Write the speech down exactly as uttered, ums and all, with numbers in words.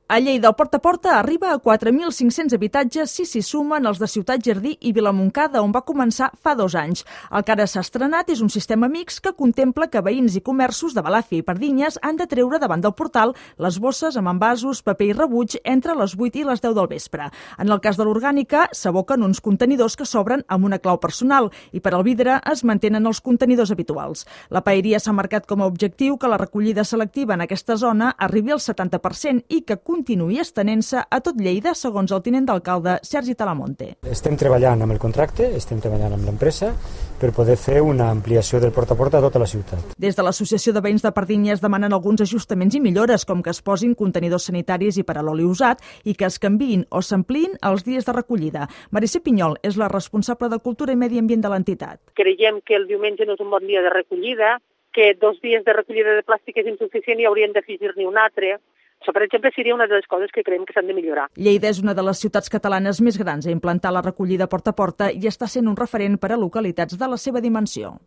A Lleida, el porta a porta arriba a quatre mil cinc-cents habitatges si s'hi sumen els de Ciutat Jardí i Vilamontcada, on va començar fa dos anys. El que ara s'ha estrenat és un sistema mixt que contempla que veïns i comerços de Balàfia i Pardinyes han de treure davant del portal les bosses amb envasos, paper i rebuig entre les vuit i les deu del vespre. En el cas de l'orgànica, s'aboquen uns contenidors que s'obren amb una clau personal i per al vidre es mantenen els contenidors habituals. La paeria s'ha marcat com a objectiu que la recollida selectiva en aquesta zona arribi al setanta per cent i que continuï estenent-se a tot Lleida, segons el tinent d'alcalde Sergi Talamonte. Estem treballant amb el contracte, estem treballant amb l'empresa per poder fer una ampliació del porta a porta a tota la ciutat. Des de l'Associació de Veïns de Pardinyes demanen alguns ajustaments i millores, com que es posin contenidors sanitaris i per a l'oli usat i que es canviïn o s'ampliïn els dies de recollida. Marisé Pinyol és la responsable de Cultura i Medi Ambient de l'entitat. Creiem que el diumenge no és un bon dia de recollida, que dos dies de recollida de plàstic és insuficient i haurien d'afegir-ne un altre. Això, per exemple, seria una de les coses que creiem que s'han de millorar. Lleida és una de les ciutats catalanes més grans a implantar la recollida porta a porta i està sent un referent per a localitats de la seva dimensió.